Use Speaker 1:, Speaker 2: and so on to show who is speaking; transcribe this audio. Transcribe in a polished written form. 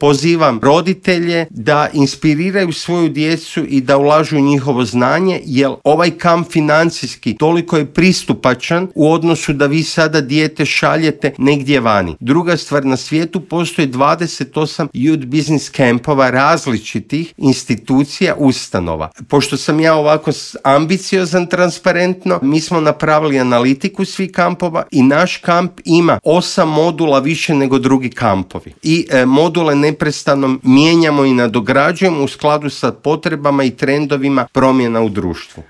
Speaker 1: Pozivam roditelje da inspiriraju svoju djecu i da ulažu u njihovo znanje, jer ovaj kamp financijski toliko je pristupačan u odnosu da vi sada dijete šaljete negdje vani. Druga stvar, na svijetu postoji 28 youth business campova različitih institucija, ustanova. Pošto sam ja ovako ambiciozan, transparentno, mi smo napravili analitiku svih kampova i naš kamp ima 8 modula više nego drugi kampovi. I module neprestano mijenjamo i nadograđujemo u skladu sa potrebama i trendovima promjena u društvu.